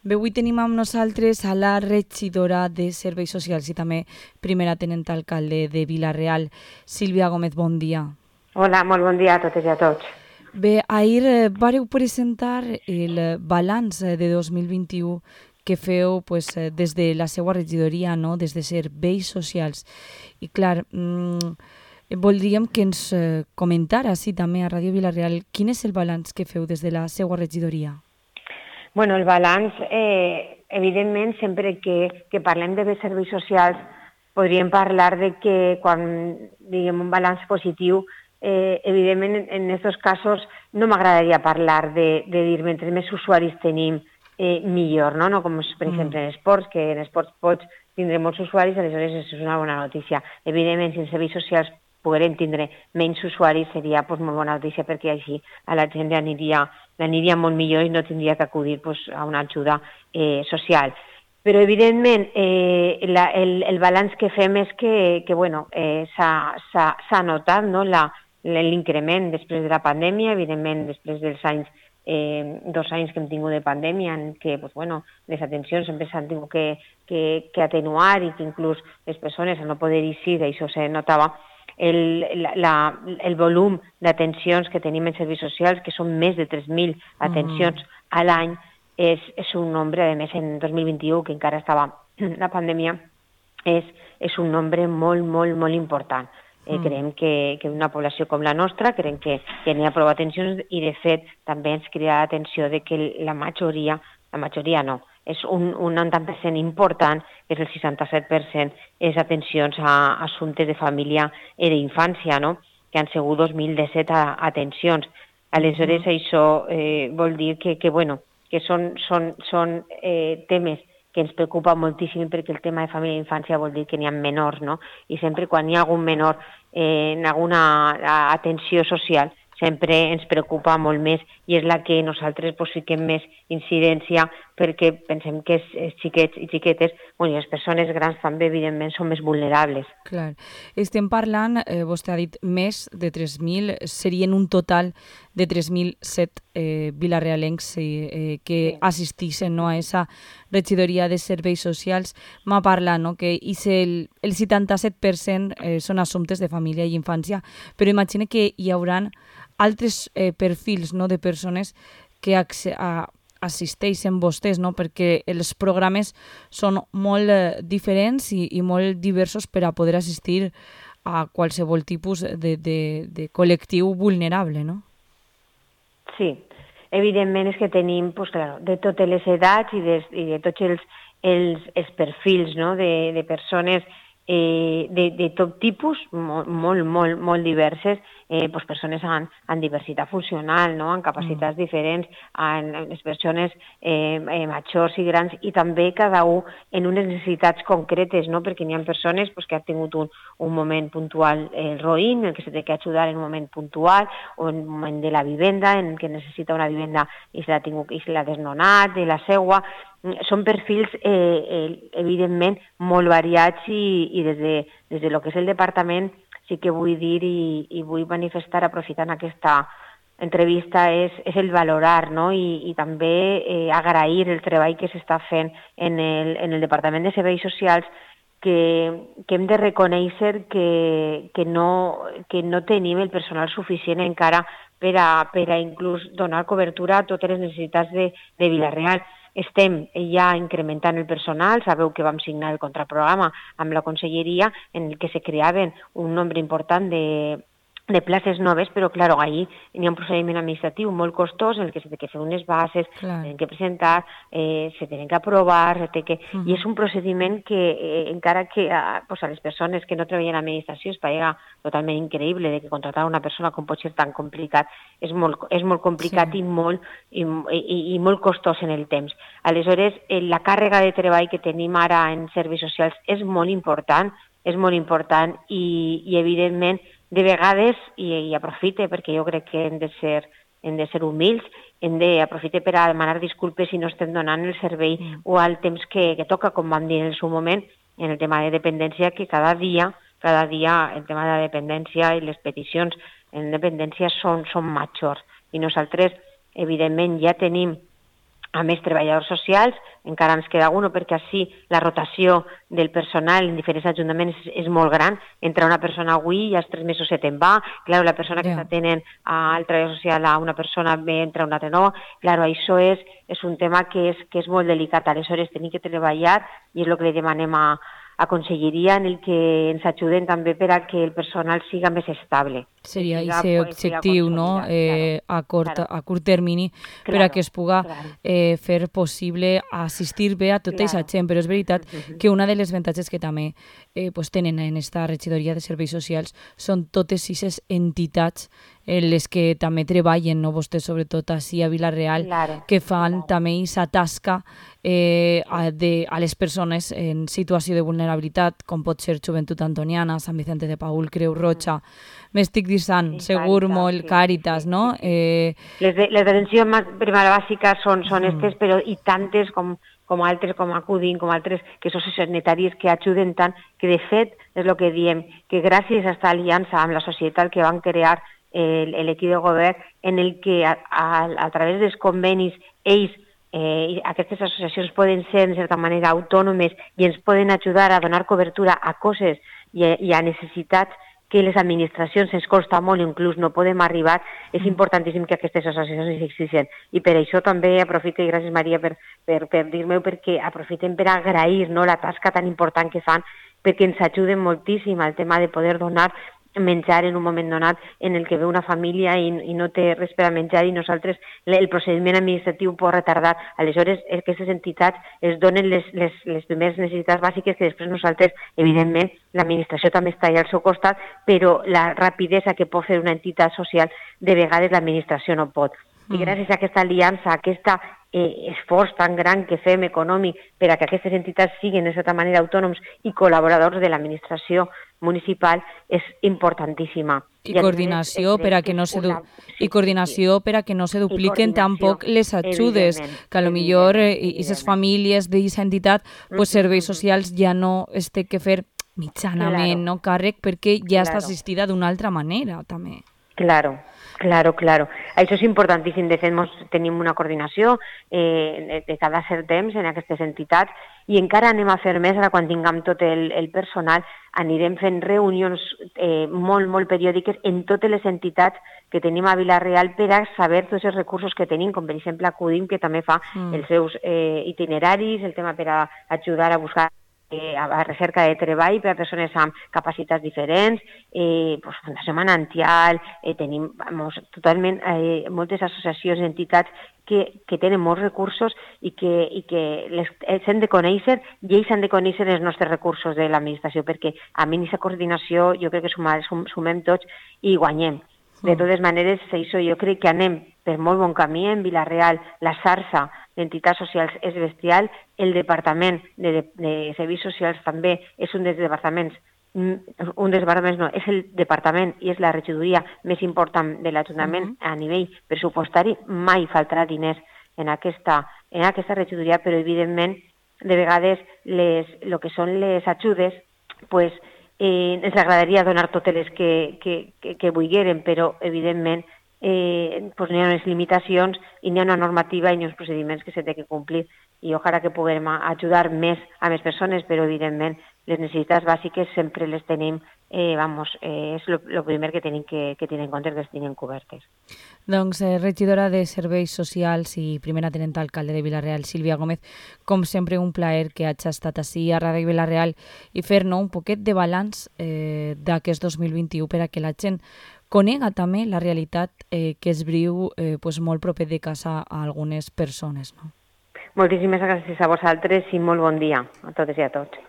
Bé, avui tenim amb nosaltres a la regidora de Serveis Socials i també primera tenent alcalde de Vila-real, Sílvia Gómez, bon dia. Hola, molt bon dia a totes i a tots. Bé, ahir vareu presentar el balanç de 2021 que feu des de la seva regidoria, no? Des de Serveis Socials. I clar, voldríem que ens comentara, sí, també a Ràdio Vila-real, quin és el balanç que feu des de la seva regidoria? Bueno, el balanç, evidentment, sempre que parlem de serveis socials, podríem parlar de que quan diguem un balanç positiu, evidentment, en aquests casos no m'agradaria parlar de dir mentre més usuaris tenim, millor, no? No com, per exemple, en esports, que en esports pots tindre molts usuaris, aleshores és una bona notícia. Evidentment, si en serveis socials poguérem tindre menys usuaris seria molt bona notícia perquè així a la gent l'aniria molt millor i no tindria que acudir a una ajuda social. Però, evidentment, el balanç que fem és que bueno, s'ha notat, no, l'increment després de la pandèmia, evidentment després dels anys 2 anys que hem tingut de pandèmia en què bueno, les atencions sempre s'han tingut que atenuar i que inclús les persones al no poder eixir, això se notava, el volum d'atencions que tenim en serveis socials, que són més de 3.000 atencions a l'any, és un nombre, a més en 2021, que encara estava la pandèmia, és un nombre molt, molt, molt important. Creiem que una població com la nostra, creiem que n'hi ha prou atencions i, de fet, també ens crida l'atenció de que la majoria no, és un 90% important, que és el 67%, és atencions a assumptes de família i d'infància, no? Que han sigut 2.017 atencions. Aleshores, això vol dir que són temes que ens preocupa moltíssim perquè el tema de família i infància vol dir que n'hi ha menors, no? I sempre quan hi ha algun menor en alguna atenció social, sempre ens preocupa molt més i és la que nosaltres fiquem més incidència perquè pensem que els xiquets i xiquetes, i les persones grans també, evidentment, són més vulnerables. Clar. Estem parlant, vostè ha dit, més de 3.000, serien un total de 3.007 vilarealencs que assistixen, no, a aquesta regidoria de serveis socials. M'ha parlat, no, que el 77% són assumptes de família i infància, però imagina que hi haurà altres perfils, no, de persones que assisteixen vostès, no? Perquè els programes són molt diferents i molt diversos per a poder assistir a qualsevol tipus de col·lectiu vulnerable, no? Sí, evidentment és que tenim de totes les edats i de tots els perfils, no? De persones de tot tipus, molt diverses, persones amb diversitat funcional, no? Amb capacitats diferents, les persones majors i grans, i també cada un en unes necessitats concretes, no? Perquè n'hi ha persones que han tingut un moment puntual roïn, en què se té que ajudar en un moment puntual, o en un moment de la vivenda, en què necessita una vivenda i se l'ha desnonat, de la seua. Són perfils, evidentment, molt variats i des de lo que és el departament sí que vull dir i vull manifestar, aprofitant aquesta entrevista, és el valorar, no? I també agrair el treball que s'està fent en el Departament de Serveis Socials, que hem de reconèixer que no tenim el personal suficient encara per a inclús donar cobertura a totes les necessitats de Vila-real. Estem ja incrementant el personal, sabeu que vam signar el contraprograma amb la conselleria en el que se creaven un nombre important de places noves, però, clar, ahí hi ha un procediment administratiu molt costós en el que s'ha de fer unes bases, s'han que presentar, se tenen que aprovar, i és un procediment que, encara que a les persones que no treballen a l'administració es parega totalment increïble de que contractar una persona com pot ser tan complicat, és molt complicat i molt costós en el temps. Aleshores, la càrrega de treball que tenim ara en serveis socials és molt important i evidentment, de vegades, i aprofite, perquè jo crec que hem de ser humils, hem d'aprofitar per a demanar disculpes si no estem donant el servei o el temps que toca, com vam dir en el seu moment, en el tema de dependència, que cada dia el tema de la dependència i les peticions en dependència són majors. I nosaltres, evidentment, ja tenim a més treballadors socials, encara ens queda uno perquè així la rotació del personal en diferents ajuntaments és molt gran. Entra una persona avui i als 3 mesos se te'n va. Claro, la persona que està tenint al treballador social a una persona ve, entra una altra nova. Claro, això és un tema que és molt delicat. Aleshores, tenim que treballar i és el que li demanem a Conselleria en el que ens ajuden també per a que el personal siga més estable. Seria aquest objectiu, no? A curt termini, per a que es puga fer possible assistir bé a tota aquesta gent. Però és veritat que una de les avantatges que també tenen en aquesta regidoria de serveis socials són totes aquestes entitats en les que també treballen, no? Vostès, sobretot així a Vila-real, que fan també aquesta tasca a les persones en situació de vulnerabilitat, com pot ser Joventut Antoniana, Sant Vicente de Paül, Creu Roja, m'estic dissant, segur molt, Càritas, no? Les d'atenció primària bàsica són aquestes, però i tantes com altres, com Acudim, com altres que són sanitaris que ajuden tant, que de fet és el que diem, que gràcies a aquesta aliança amb la societat que van crear l'equip de govern, en el que a través dels convenis ells aquestes associacions poden ser, en certa manera, autònomes i ens poden ajudar a donar cobertura a coses i a necessitats que les administracions ens costa molt, inclús no podem arribar, és importantíssim que aquestes associacions existeixen. I per això també aprofito, i gràcies Maria per dir-me-ho, perquè aprofitem per agrair la tasca tan important que fan, perquè ens ajuden moltíssim al tema de poder donar menjar en un moment donat en el que ve una família i no té res per a menjar i nosaltres el procediment administratiu pot retardar. Aleshores, aquestes entitats es donen les primeres necessitats bàsiques que després nosaltres, evidentment, l'administració també està allà al seu costat, però la rapidesa que pot fer una entitat social, de vegades l'administració no pot. I gràcies a aquesta aliança, a aquest esforç tan gran que fem econòmic per a que aquestes entitats siguin de certa manera autònoms i col·laboradors de l'administració municipal, és importantíssima. I coordinació per a que no se dupliquen tampoc les ajudes, que a lo millor aquestes famílies d'aquesta entitat, serveis socials ja no es té que fer mitjanament càrrec perquè ja està assistida d'una altra manera també. Claro. Això és importantíssim. De fet, tenim una coordinació de cada cert temps en aquestes entitats i encara anem a fer més ara quan tinguem tot el personal. Anirem fent reunions molt periòdiques en totes les entitats que tenim a Vila-real per a saber tots els recursos que tenim, com per exemple Acudim, que també fa els seus itineraris, el tema per a ajudar a buscar a recerca de treball per a persones amb capacitats diferents, Fundació Manantial, tenim totalment moltes associacions i entitats que tenen molts recursos i que els hem de conèixer i ells han de conèixer els nostres recursos de l'administració, perquè a mi aquesta coordinació jo crec que sumem tots i guanyem. De totes maneres, jo crec que anem per molt bon camí en Vila-real. La xarxa d'entitats socials és bestial. El Departament de Serveis Socials també és un dels departaments, és el departament i és la regidoria més important de l'Ajuntament a nivell pressupostari. Mai faltarà diners en aquesta regidoria, però evidentment, de vegades, el que són les ajudes, ens agradaria donar totes les que vulgueren, però evidentment n'hi ha unes limitacions i n'hi ha una normativa i n'hi ha uns procediments que s'han de complir i ojalà que puguem ajudar més a més persones, però evidentment les necessitats bàsiques sempre les tenim, és el primer que tenim que tenir en compte que les tenim cobertes. Doncs regidora de Serveis Socials i primera tenenta alcalde de Vila-real, Sílvia Gómez, com sempre un plaer que hagi estat ací a Ràdio Vila-real i fer-nos un poquet de balanç d'aquest 2021 per a que la gent conega també la realitat que es viu molt proper de casa a algunes persones. Moltíssimes gràcies a vosaltres i molt bon dia a totes i a tots.